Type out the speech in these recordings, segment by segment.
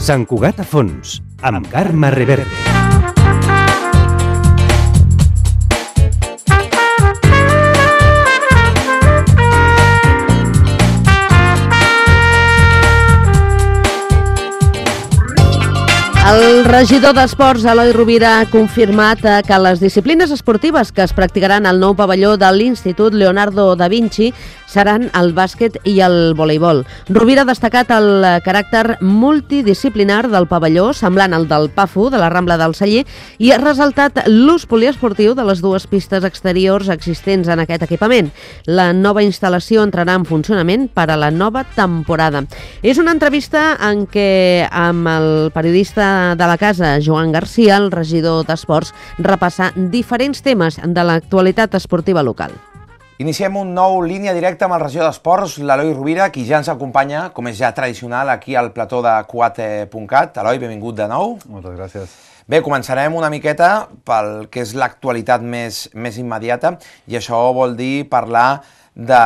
Sant Cugat a fons, amb Carme Reverte. El regidor d'Esports, Eloi Rovira, ha confirmat que les disciplines esportives que es practicaran al nou pavelló de l'Institut Leonardo da Vinci seran el bàsquet i el voleibol. Rovira ha destacat el caràcter multidisciplinar del pavelló, semblant al del PAFU, de la Rambla del Celler, i ha ressaltat l'ús poliesportiu de les dues pistes exteriors existents en aquest equipament. La nova instal·lació entrarà en funcionament per a la nova temporada. És una entrevista en què, amb el periodista de la casa, Joan Garcia, el regidor d'Esports, repassa diferents temes de l'actualitat esportiva local. Iniciem un nou línia directa amb el regidor d'Esports, l'Eloi Rovira, qui ja ens acompanya, com és ja tradicional, aquí al plató de Cugat.cat. Eloi, benvingut de nou. Moltes gràcies. Bé, començarem una miqueta pel que és l'actualitat més immediata, i això vol dir parlar de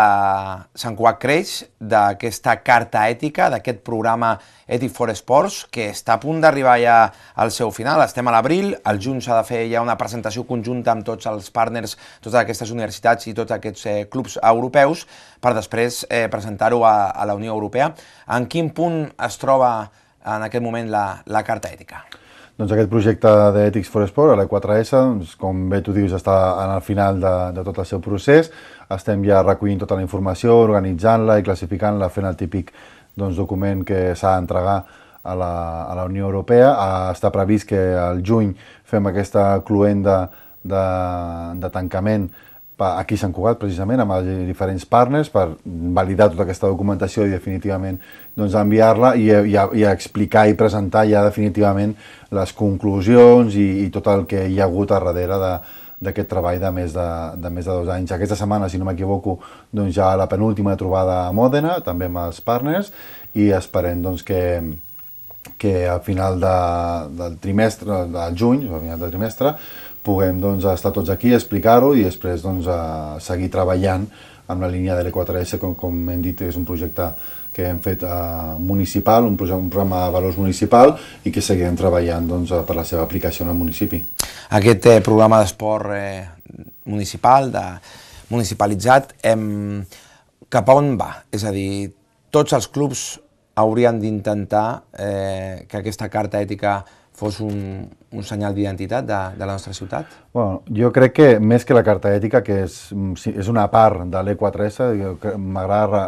Sant Cugat Creix, d'aquesta carta ètica, d'aquest programa Ethic for Sports, que està a punt d'arribar ja al seu final. Estem a l'abril, al juny s'ha de fer ja una presentació conjunta amb tots els partners, totes aquestes universitats i tots aquests clubs europeus, per després presentar-ho a la Unió Europea. En quin punt es troba en aquest moment la carta ètica? Doncs aquest projecte d'Ethics for Sport, l'E4S, doncs, com bé tu dius, està en el final de tot el seu procés. Estem ja recollint tota la informació, organitzant-la i classificant-la, fent el típic document que s'ha d'entregar a la Unió Europea. Està previst que al juny fem aquesta cluenda de tancament aquí a Sant Cugat, precisament, amb els diferents partners, per validar tota aquesta documentació i definitivament enviar-la i explicar i presentar ja definitivament les conclusions i tot el que hi ha hagut a darrere d'aquest treball de més de 2 anys. Aquesta setmana, si no m'equivoco, ja la penúltima trobada a Mòdena, també amb els partners, i esperem que al final del trimestre, del juny, al final del trimestre, puguem estar tots aquí, explicar-ho i després seguir treballant amb la línia de l'E4S, com hem dit, és un projecte que hem fet municipal, un programa de valors municipal, i que seguirem treballant per la seva aplicació en el municipi. Aquest programa d'esport municipal, municipalitzat, cap a on va? És a dir, tots els clubs haurien d'intentar que aquesta carta ètica fos un senyal d'identitat de la nostra ciutat? Bueno, jo crec que més que la carta ètica, que és una part de l'E4S, m'agrada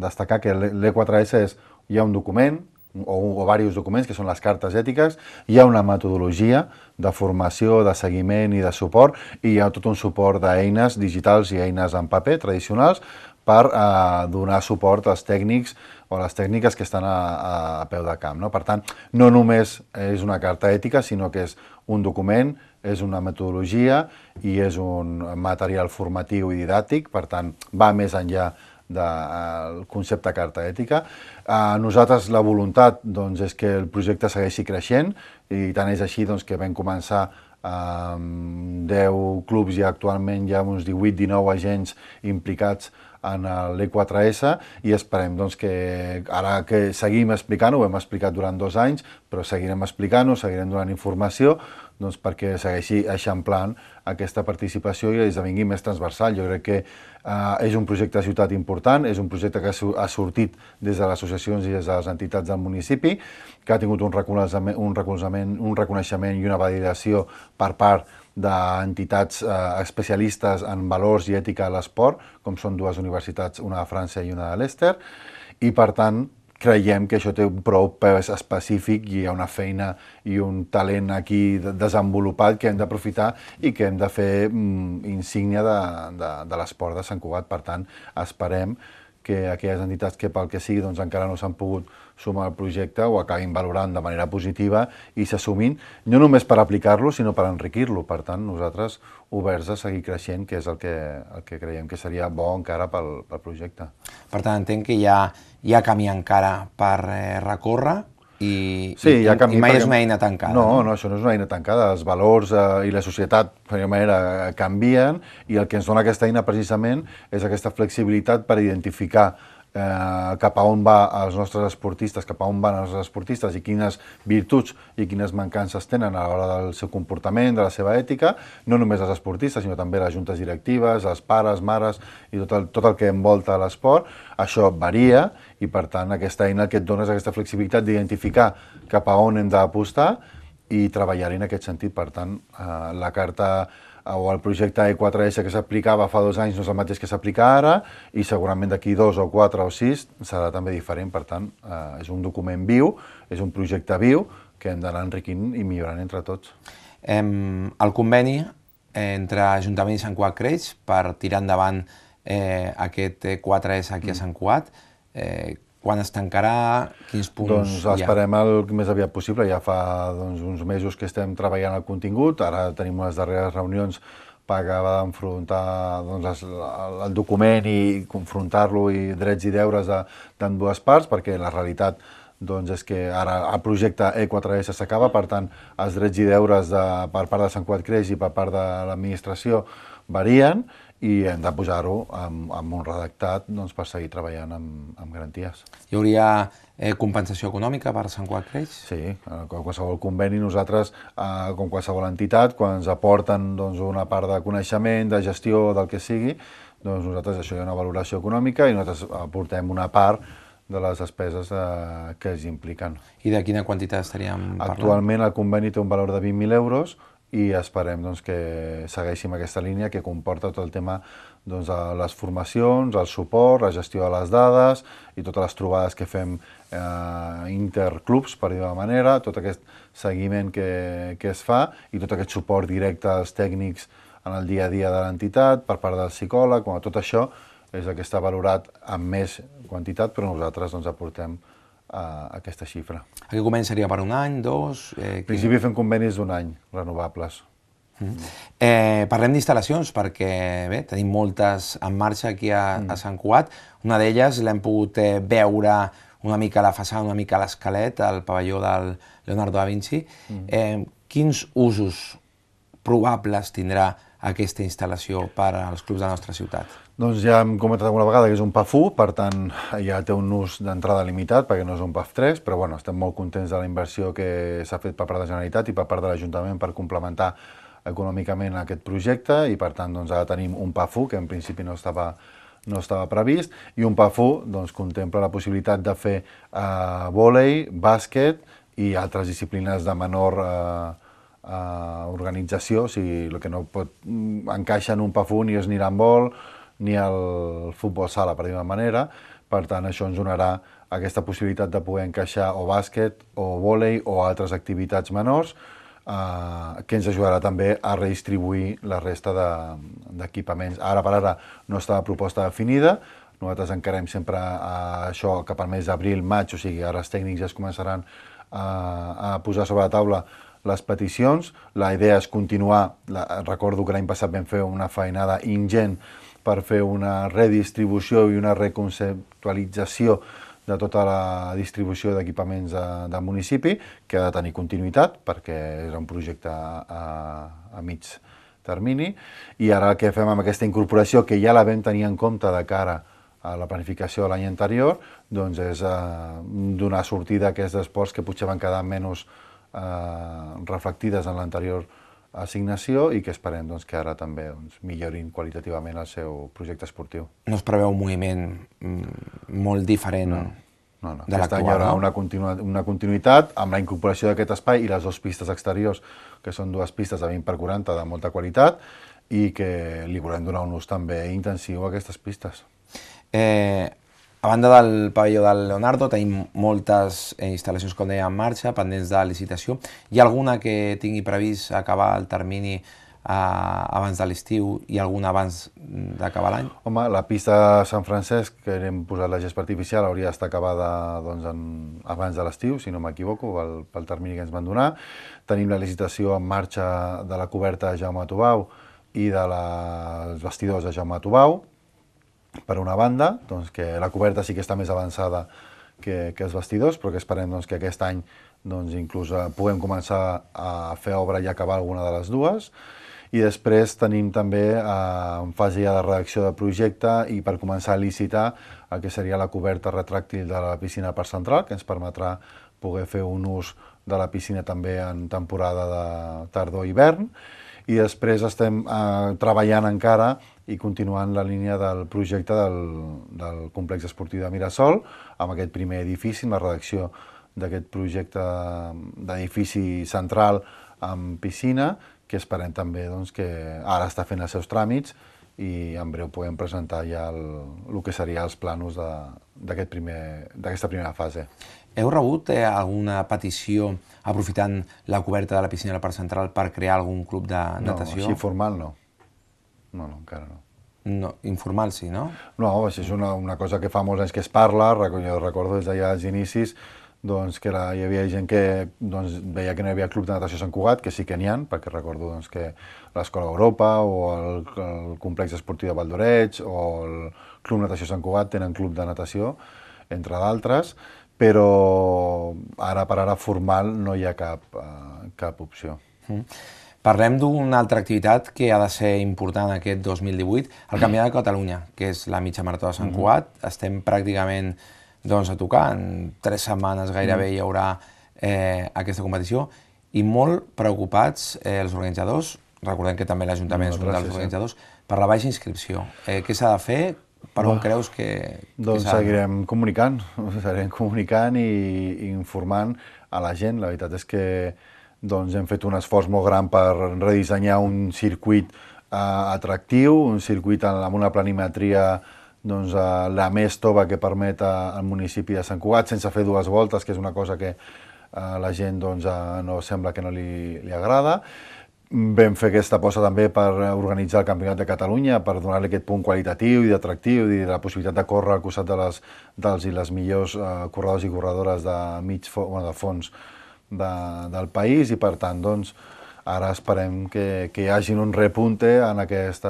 destacar que l'E4S hi ha un document, o diversos documents, que són les cartes ètiques, hi ha una metodologia de formació, de seguiment i de suport, i hi ha tot un suport d'eines digitals i eines en paper tradicionals per donar suport als tècnics o a les tècniques que estan a peu de camp. Per tant, no només és una carta ètica, sinó que és un document, és una metodologia i és un material formatiu i didàctic, per tant, va més enllà del concepte carta ètica. Nosaltres la voluntat és que el projecte segueixi creixent, i tant és així que vam començar amb 10 clubs i actualment hi ha uns 18-19 agents implicats en l'E4S, i esperem que ara que seguim explicant-ho, ho hem explicat durant 2 anys, però seguirem explicant-ho, seguirem donant informació perquè segueixi eixamplant aquesta participació i esdevingui més transversal. Jo crec que és un projecte de ciutat important, és un projecte que ha sortit des de les associacions i des de les entitats del municipi, que ha tingut un reconeixement i una validació per part d'entitats especialistes en valors i ètica a l'esport, com són 2 universitats, una de França i una de l'Ester, i per tant creiem que això té prou pes específic i hi ha una feina i un talent aquí desenvolupat que hem d'aprofitar i que hem de fer insígnia de l'esport de Sant Cugat. Per tant, esperem que aquelles entitats que pel que sigui encara no s'han pogut sumar al projecte ho acabin valorant de manera positiva i s'assumin, no només per aplicar-lo, sinó per enriquir-lo. Per tant, nosaltres oberts a seguir creixent, que és el que creiem que seria bo encara pel projecte. Per tant, entenc que hi ha camí encara per recórrer. i canvi, mai és una eina tancada. No, això no és una eina tancada. Els valors i la societat, d'alguna manera, canvien, i el que ens dona aquesta eina, precisament, és aquesta flexibilitat per identificar cap a on va els nostres esportistes, cap a on van els esportistes i quines virtuts i quines mancances tenen a l'hora del seu comportament, de la seva ètica, no només els esportistes, sinó també les juntes directives, els pares, mares i tot el que envolta l'esport. Això varia i, per tant, aquesta eina que et dona és aquesta flexibilitat d'identificar cap a on hem d'apostar i treballar-hi en aquest sentit. Per tant, la carta o el projecte E4S que s'aplicava fa 2 anys no és el mateix que s'aplica ara i segurament d'aquí 2 o 4 o 6 serà també diferent. Per tant, és un document viu, és un projecte viu que hem d'anar enriquint i millorant entre tots. El conveni entre Ajuntament i Sant Cugat Creix per tirar endavant aquest E4S aquí a Sant Cugat, quan es tancarà, quins punts Doncs esperem el més aviat possible. Ja fa uns mesos que estem treballant el contingut, ara tenim unes darreres reunions per acabar d'enfrontar el document i confrontar-lo i drets i deures d'ambdues parts, perquè la realitat és que ara el projecte E4S s'acaba, per tant, els drets i deures per part de Sant Cugat Creix i per part de l'administració varien i hem de posar-ho amb un redactat per seguir treballant amb garanties. Hi hauria compensació econòmica per Sant Cugat Creix? Sí, com qualsevol conveni, nosaltres, com qualsevol entitat, quan ens aporten una part de coneixement, de gestió, del que sigui, nosaltres això hi ha una valoració econòmica i nosaltres aportem una part de les despeses que es impliquen. I de quina quantitat estaríem parlant? Actualment el conveni té un valor de 20.000 euros i esperem que segueixin aquesta línia que comporta tot el tema de les formacions, el suport, la gestió de les dades i totes les trobades que fem interclubs, per dir-ho d'una manera, tot aquest seguiment que es fa i tot aquest suport directe als tècnics en el dia a dia de l'entitat per part del psicòleg. Tot això és el que està valorat amb més quantitat, però nosaltres aportem aquesta xifra. Aquest conveni seria per 1 any, 2? En principi fem convenis d'1 any, renovables. Parlem d'instal·lacions, perquè tenim moltes en marxa aquí a Sant Cugat. Una d'elles l'hem pogut veure una mica a la façana, una mica a l'esquelet, al pavelló del Leonardo da Vinci. Quins usos probables tindrà aquesta instal·lació per als clubs de la nostra ciutat? Doncs ja hem comentat alguna vegada que és un PAF 1, per tant ja té un ús d'entrada limitat perquè no és un PAF 3, però estem molt contents de la inversió que s'ha fet per part de la Generalitat i per part de l'Ajuntament per complementar econòmicament aquest projecte i per tant ara tenim un PAF 1 que en principi no estava previst i un PAF 1 contempla la possibilitat de fer vòlei, bàsquet i altres disciplines de menor organització, o sigui, el que no pot encaixar en un PAF 1 ni és ni l'handbol ni el futbol sala, per dir-ho d'una manera. Per tant, això ens donarà aquesta possibilitat de poder encaixar o bàsquet o vòlei o altres activitats menors que ens ajudarà també a redistribuir la resta d'equipaments. Ara per ara no està la proposta definida, nosaltres encarem sempre això cap al mes d'abril, maig, o sigui, ara els tècnics ja es començaran a posar sobre la taula les peticions. La idea és continuar, recordo que l'any passat vam fer una feinada ingent per fer una redistribució i una reconceptualització de tota la distribució d'equipaments del municipi, que ha de tenir continuïtat, perquè era un projecte a mig termini, i ara el que fem amb aquesta incorporació, que ja la vam tenir en compte de cara a la planificació de l'any anterior, doncs és donar sortida a aquests esports que potser van quedar menys reflectides en l'anterior assignació i que esperem que ara també millorin qualitativament el seu projecte esportiu. No es preveu un moviment molt diferent No, de aquest any hi l'actual, haurà una continuïtat amb la incorporació d'aquest espai i les 2 pistes exteriors, que són 2 pistes de 20x40 de molta qualitat i que li volem donar un ús també intensiu a aquestes pistes. A banda del pavelló del Leonardo tenim moltes instal·lacions, com deia, en marxa, pendents de licitació. Hi ha alguna que tingui previst acabar el termini abans de l'estiu i alguna abans d'acabar l'any? Home, la pista de Sant Francesc, que hem posat la gespa artificial, hauria d'estar acabada abans de l'estiu, si no m'equivoco, pel termini que ens van donar. Tenim la licitació en marxa de la coberta de Jaume Tubau i dels vestidors de Jaume Tubau. Per una banda, que la coberta sí que està més avançada que els vestidors, però que esperem doncs, que aquest any doncs, inclús puguem començar a fer obra i acabar alguna de les dues. I després tenim també en fase ja de redacció de projecte i per començar a licitar el que seria la coberta retràctil de la piscina Parc Central, que ens permetrà poder fer un ús de la piscina també en temporada de tardor-hivern. I després estem treballant encara i continuant la línia del projecte del complex esportiu de Mirasol, amb aquest primer edifici, amb la redacció d'aquest projecte d'edifici central amb piscina, que esperem també doncs, que ara està fent els seus tràmits i en breu podem presentar ja el que serien els plànols d'aquesta primera fase. Heu rebut alguna petició aprofitant la coberta de la piscina del Parc Central per crear algun club de natació? No, així formal no. No, encara no. No, informal sí, no? No, és una cosa que fa molts anys que es parla, jo recordo des d'allà als inicis, doncs, que hi havia gent que veia que no hi havia club de natació a Sant Cugat, que sí que n'hi ha, perquè recordo doncs, que l'Escola Europa o el complex esportiu de Valdoreig o el Club Natació Sant Cugat tenen club de natació, entre d'altres, però ara per ara formal no hi ha cap opció. Parlem d'una altra activitat que ha de ser important aquest 2018, el Campionat de Catalunya, que és la mitja marató de Sant Cugat. Estem pràcticament a tocar, en 3 setmanes gairebé hi haurà aquesta competició, i molt preocupats els organitzadors, recordem que també l'Ajuntament és un dels organitzadors, per la baixa inscripció. Què s'ha de fer? Per on creus que doncs seguirem comunicant i informant a la gent. La veritat és que hem fet un esforç molt gran per redissenyar un circuit atractiu, un circuit amb una planimetria la més tova que permet al municipi de Sant Cugat, sense fer 2 voltes, que és una cosa que a la gent no sembla que no li agrada. Vam fer aquesta aposta també per organitzar el Campionat de Catalunya, per donar-li aquest punt qualitatiu i d'atractiu i la possibilitat de córrer al costat dels i les millors corredors i corredores de fons del país, i per tant, ara esperem que hi hagi un repunte en aquest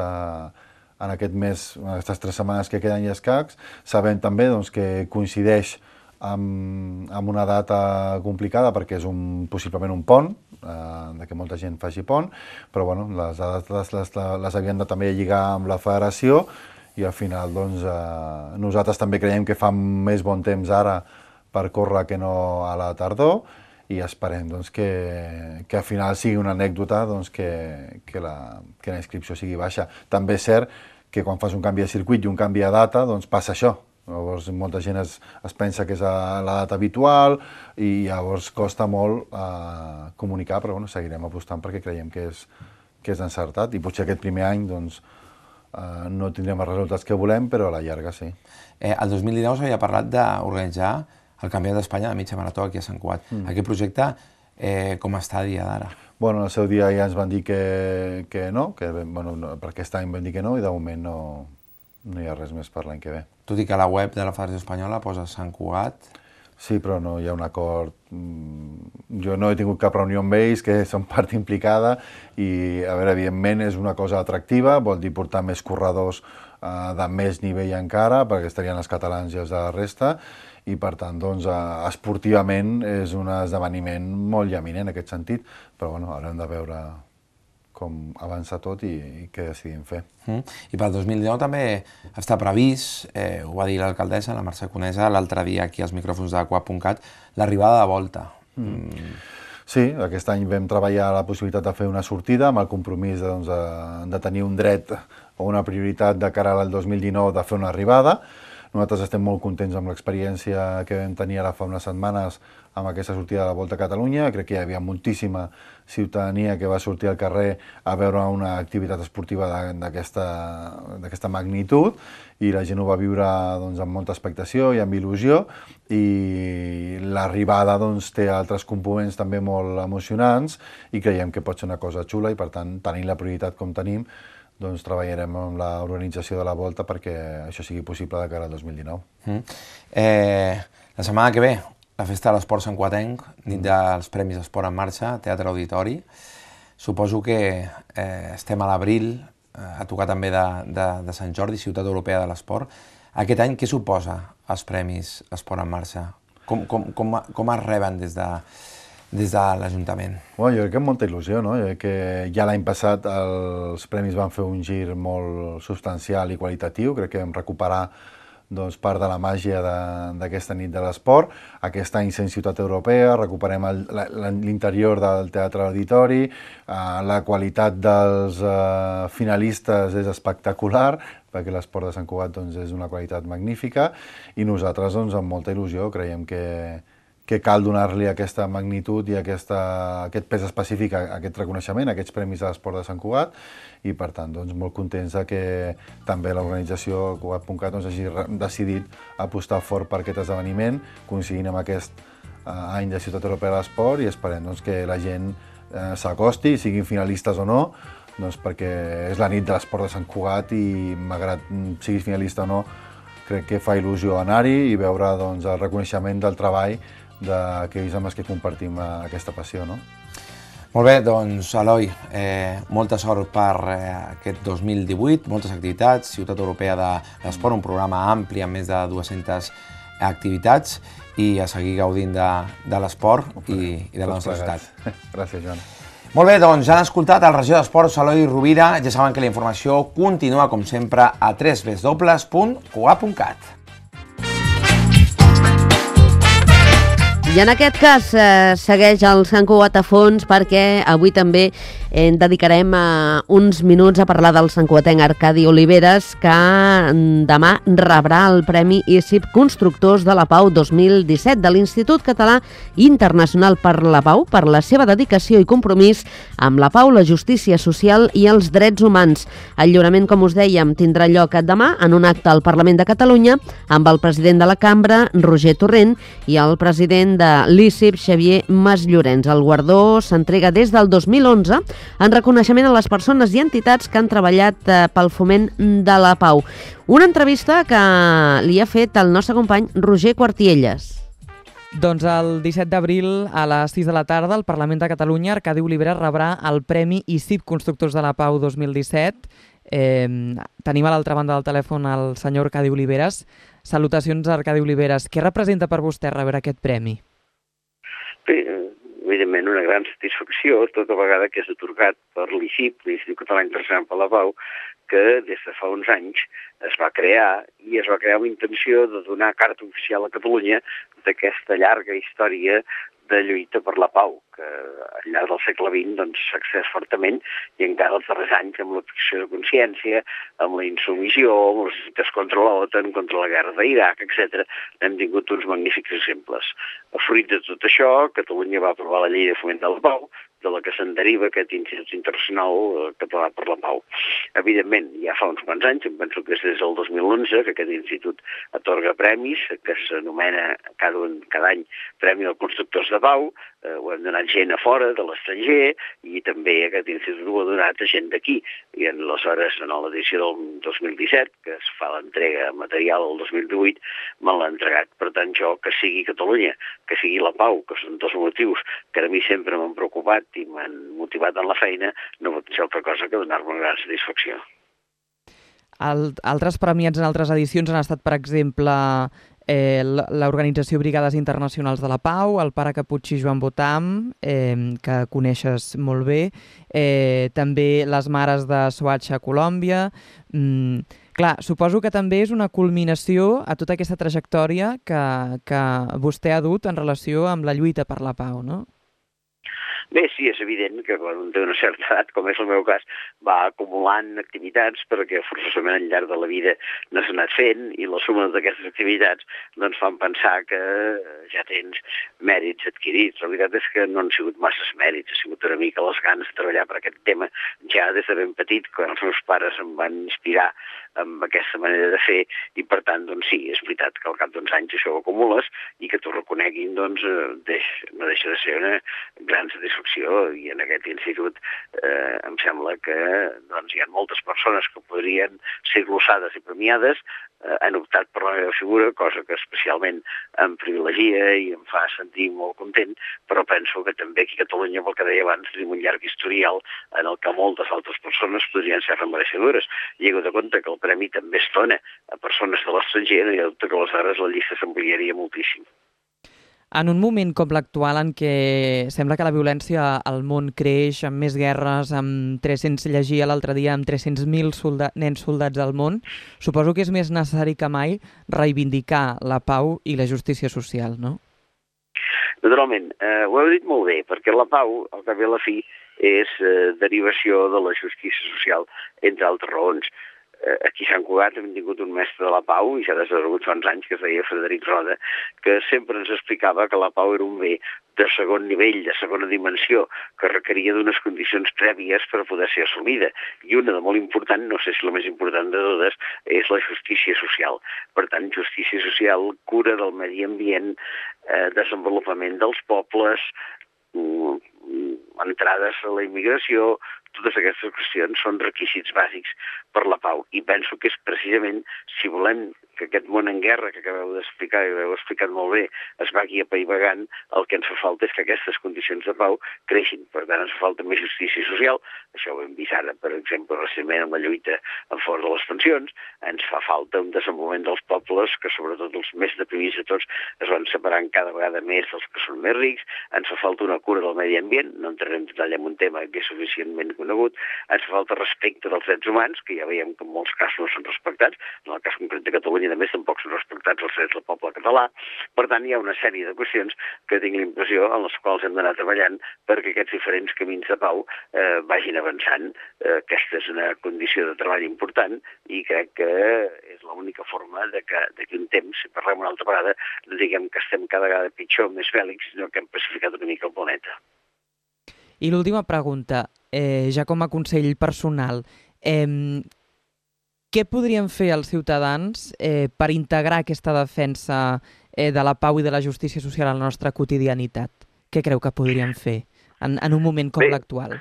mes, en aquestes 3 setmanes que queden i escacs. Sabem també que coincideix amb una data complicada perquè és possiblement un pont, que molta gent faci pont, però les dates les havien de també lligar amb la federació i al final nosaltres també creiem que fa més bon temps ara per córrer que no a la tardor, i esperem que al final sigui una anècdota que la inscripció sigui baixa. També és cert que quan fas un canvi de circuit i un canvi de data passa això. Llavors molta gent es pensa que és la data habitual i llavors costa molt comunicar, però seguirem apostant perquè creiem que és encertat i potser aquest primer any no tindrem els resultats que volem, però a la llarga sí. El 2019 s'havia parlat d'organitzar el Campionat d'Espanya de mitja marató aquí a Sant Cugat. Aquest projecte com està a dia d'ara? Bueno, al seu dia ja ens van dir que no, per aquest any vam dir que no i de moment no hi ha res més per l'any que ve. Tot i que a la web de la Federació Espanyola posa Sant Cugat. Sí, però no hi ha un acord. Jo no he tingut cap reunió amb ells, que són part implicada, i, a veure, evidentment és una cosa atractiva, vol dir portar més corredors de més nivell encara, perquè estarien els catalans i els de la resta, i per tant, esportivament és un esdeveniment molt llaminant en aquest sentit, però haurem de veure com avança tot i què decidim fer. I pel 2019 també està previst, ho va dir l'alcaldessa, la Mercè Conesa, l'altre dia aquí als micròfons de Cugat.cat, l'arribada de Volta. Sí, aquest any vam treballar la possibilitat de fer una sortida amb el compromís de tenir un dret o una prioritat de cara al 2019 de fer una arribada. Nosaltres estem molt contents amb l'experiència que vam tenir ara fa unes setmanes amb aquesta sortida de la Volta a Catalunya. Crec que hi havia moltíssima ciutadania que va sortir al carrer a veure una activitat esportiva d'aquesta magnitud i la gent ho va viure amb molta expectació i amb il·lusió, i l'arribada té altres components també molt emocionants i creiem que pot ser una cosa xula, i per tant, tenint la prioritat com tenim, treballarem amb l'organització de la Volta perquè això sigui possible de cara al 2019. La setmana que ve, la Festa de l'Esport Santcugatenc, nit dels Premis Esport en Marxa, Teatre Auditori. Suposo que estem a l'abril, a tocar també de Sant Jordi, Ciutat Europea de l'Esport. Aquest any què suposa els Premis Esport en Marxa Com es reben des de l'Ajuntament? Bueno, jo crec que amb molta il·lusió, no? Jo crec que ja l'any passat els premis van fer un gir molt substancial i qualitatiu, crec que vam recuperar part de la màgia d'aquesta nit de l'esport. Aquest any sent Ciutat Europea, recuperem l'interior del Teatre Auditori, la qualitat dels finalistes és espectacular, perquè l'esport de Sant Cugat és una qualitat magnífica, i nosaltres amb molta il·lusió creiem que cal donar-li aquesta magnitud i aquest pes específic a aquest reconeixement, a aquests premis de l'esport de Sant Cugat, i per tant molt contents que també l'organització Cugat.cat hagi decidit apostar fort per aquest esdeveniment, coincidint amb aquest any de Ciutat Europea de l'Esport, i esperem que la gent s'acosti, siguin finalistes o no, perquè és la nit de l'esport de Sant Cugat i malgrat siguis finalista o no, crec que fa il·lusió anar-hi i veure el reconeixement del treball d'aquells amb els que compartim aquesta passió, no? Molt bé, doncs, Eloi, molta sort per aquest 2018, moltes activitats, Ciutat Europea de l'Esport, un programa ampli amb més de 200 activitats, i a seguir gaudint de l'esport i de la nostra ciutat. Gràcies, Joan. Molt bé, doncs ja han escoltat el regidor d'Esports, Eloi Rovira. Ja saben que la informació continua, com sempre, a www.cugat.cat. I en aquest cas segueix el Sant Cugat a fons, perquè avui també dedicarem uns minuts a parlar del santcugatenc Arcadi Oliveres, que demà rebrà el Premi ICIP Constructors de la Pau 2017 de l'Institut Català Internacional per la Pau, per la seva dedicació i compromís amb la pau, la justícia social i els drets humans. El lliurament, com us dèiem, tindrà lloc demà en un acte al Parlament de Catalunya amb el president de la Cambra, Roger Torrent, i el president de l'ICIP, Xavier Masllorens. El guardó s'entrega des del 2011 en reconeixement a les persones i entitats que han treballat pel foment de la pau. Una entrevista que li ha fet el nostre company Roger Quartielles. Doncs el 17 d'abril a les 6 de la tarda al Parlament de Catalunya Arcadi Oliveres rebrà el Premi ICIP Constructors de la Pau 2017. Tenim a l'altra banda del telèfon el senyor Arcadi Oliveres. Salutacions, Arcadi Oliveres. Què representa per vostè rebre aquest premi? Bé, evidentment una gran satisfacció tota vegada que és atorgat per l'ICIP, l'Institut Català Internacional per la Pau, que des de fa uns anys es va crear amb intenció de donar carta oficial a Catalunya d'aquesta llarga història de lluita per la pau, que al llarg del segle XX s'ha accés fortament, i encara els darrers anys amb l'objecció de consciència, amb la insubmissió, amb les lluites contra l'OTAN, contra la guerra d'Iraq, etc., hem tingut uns magnífics exemples. A fruit de tot això, Catalunya va aprovar la Llei de Foment de la Pau, de la que se'n deriva aquest Institut Internacional Català per la Pau. Evidentment, ja fa uns quants anys, em penso que és des del 2011, que aquest institut atorga premis, que s'anomena cada any Premi dels Constructors de Pau. Ho hem donat gent a fora, de l'estranger, i també aquest institut ho ha donat a gent d'aquí. I aleshores, en l'edició del 2017, que es fa l'entrega material del 2018, me l'ha entregat. Per tant, jo, que sigui Catalunya, que sigui la pau, que són dos motius que a mi sempre m'han preocupat i m'han motivat en la feina, no pot ser altra cosa que donar-me una gran satisfacció. Altres premiats en altres edicions han estat, per exemple, l'Organització Brigades Internacionals de la Pau, el pare Caputxí Joan Botam, que coneixes molt bé, també les Mares de Soacha a Colòmbia. Clar, suposo que també és una culminació a tota aquesta trajectòria que vostè ha dut en relació amb la lluita per la pau, no? Bé, sí, és evident que quan un té una certa edat, com és el meu cas, va acumulant activitats perquè forçosament al llarg de la vida no s'ha anat fent, i la suma d'aquestes activitats doncs fan pensar que ja tens mèrits adquirits. La veritat és que no han sigut masses mèrits, ha sigut una mica les ganes de treballar per aquest tema ja des de ben petit, quan els meus pares em van inspirar amb aquesta manera de fer, i per tant, doncs sí, és veritat que al cap d'uns anys això ho acumules i que t'ho reconeguin, doncs no deixa de ser una gran satisfacció. I en aquest institut em sembla que hi ha moltes persones que podrien ser glossades i premiades, han optat per la meva figura, cosa que especialment em privilegia i em fa sentir molt content, però penso que també aquí a Catalunya, pel que deia abans, tenim un llarg historial en el que moltes altres persones podrien ser mereixedores. I he hagut de compte que el premi també es dona a persones de l'estranger, no hi ha dubte que aleshores la llista s'ampliaria moltíssim. En un moment com l'actual en què sembla que la violència al món creix, amb més guerres, llegia l'altre dia, amb 300.000 nens soldats al món, suposo que és més necessari que mai reivindicar la pau i la justícia social, no? Naturalment, ho heu dit molt bé, perquè la pau, al cap i a la fi, és derivació de la justícia social, entre altres raons. Aquí a Sant Cugat hem tingut un mestre de la pau, i ja desaparegut fa uns anys, que es deia Frederic Roda, que sempre ens explicava que la pau era un bé de segon nivell, de segona dimensió, que requeria d'unes condicions prèvies per poder ser assolida. I una de molt important, no sé si la més important de totes, és la justícia social. Per tant, justícia social, cura del medi ambient, desenvolupament dels pobles, entrades a la immigració, totes aquestes qüestions són requisits bàsics per la pau. I penso que és precisament, si volem que aquest món en guerra que acabeu d'explicar, i ho heu explicat molt bé, es vagi apaivagant, el que ens fa falta és que aquestes condicions de pau creixin. Per tant, ens fa falta més justícia social, això ho hem vist ara, per exemple, recentment en la lluita en favor de les pensions, ens fa falta un desenvolupament dels pobles, que sobretot els més deprimits de tots es van separant cada vegada més dels que són més rics, ens fa falta una cura del medi ambient, no entrarem en detall en un tema que és suficientment conegut, ens fa falta respecte dels drets humans, que ja veiem que en molts casos no són respectats, en el cas concret de Catalunya a més tampoc són respectats els drets del poble català. Per tant, hi ha una sèrie de qüestions que tinc la impressió en les quals hem d'anar treballant perquè aquests diferents camins de pau vagin avançant. Aquesta és una condició de treball important i crec que és l'única forma de que d'aquí un temps, si parlem una altra vegada, diguem que estem cada vegada pitjor, més bèl·lics, sinó que hem pacificat una mica el planeta. I l'última pregunta, ja com a consell personal, què podrien fer els ciutadans per integrar aquesta defensa de la pau i de la justícia social a la nostra quotidianitat? Què creu que podrien fer en un moment com l'actual?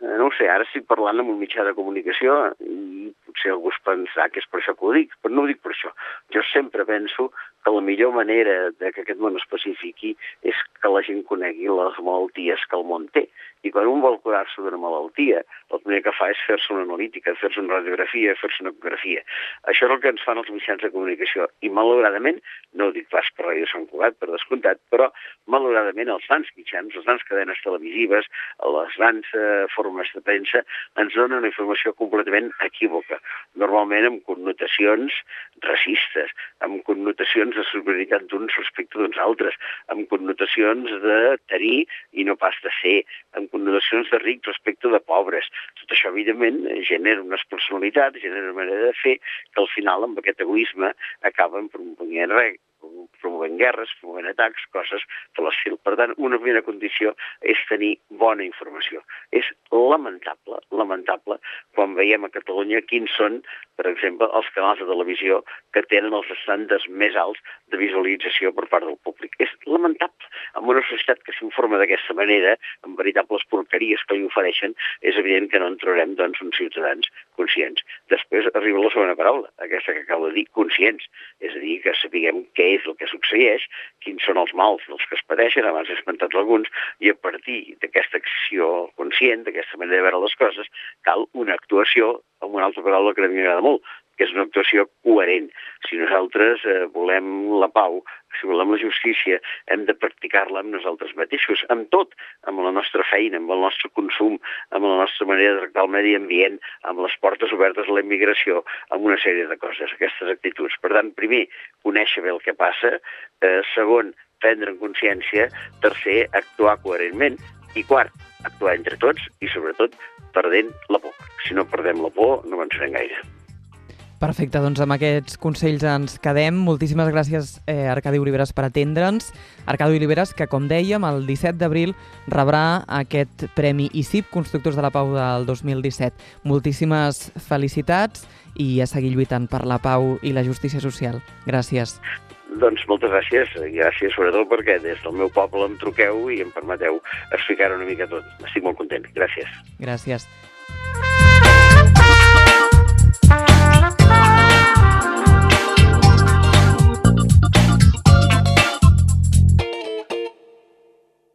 No ho sé, ara estic parlant amb un mitjà de comunicació i potser algú es pensarà que és per això que ho dic, però no ho dic per això. Jo sempre penso que la millor manera que aquest món es pacifiqui és que la gent conegui les malalties que el món té. I quan un vol curar-se d'una malaltia, el primer que fa és fer-se una analítica, fer-se una radiografia, fer-se una ecografia. Això és el que ens fan els mitjans de comunicació. I malauradament, no ho dic pas per Ràdio Sant Cugat, per descomptat, però malauradament els grans mitjans, les grans cadenes televisives, les grans formes de premsa, ens donen una informació completament equívoca. Normalment amb connotacions racistes, amb connotacions de superioritat d'uns respecte d'uns altres, amb connotacions de tenir i no pas de ser, amb connotacions de rics respecte de pobres. Tot això, evidentment, genera unes personalitats, genera una manera de fer que al final, amb aquest egoisme, acaben promovent guerres, promovent atacs, coses de l'estil. Per tant, una primera condició és tenir bona informació. És lamentable, quan veiem a Catalunya quins són, per exemple, els canals de televisió que tenen els estàndards més alts de visualització per part del públic. És lamentable. En una societat que s'informa d'aquesta manera, amb veritables porqueries que li ofereixen, és evident que no en trobarem doncs, uns ciutadans conscients. Després arriba la segona paraula, aquesta que acabo de dir, conscients. És a dir, que sapiguem què és el que succeeix, quins són els mals dels que es pateixen, abans he esmentat alguns, i a partir d'aquesta acció conscient, d'aquesta manera de veure les coses, cal una actuació, amb una altra paraula que a mi m'agrada molt, que és una actuació coherent. Si nosaltres volem la pau, si volem la justícia, hem de practicar-la amb nosaltres mateixos, amb tot, amb la nostra feina, amb el nostre consum, amb la nostra manera de tractar el medi ambient, amb les portes obertes a la immigració, amb una sèrie de coses, aquestes actituds. Per tant, primer, conèixer bé el que passa, segon, prendre en consciència, tercer, actuar coherentment, i quart, actuar entre tots i, sobretot, perdent la por. Si no perdem la por, no avançarem gaire. Perfecte, doncs amb aquests consells ens quedem. Moltíssimes gràcies, Arcadi Oliveres, per atendre'ns. Arcadi Oliveres, que, com dèiem, el 17 d'abril rebrà aquest Premi ICIP Constructors de la Pau del 2017. Moltíssimes felicitats i a seguir lluitant per la pau i la justícia social. Gràcies. Doncs moltes gràcies, i gràcies sobretot perquè des del meu poble em truqueu i em permeteu explicar una mica tot. Estic molt content. Gràcies. Gràcies.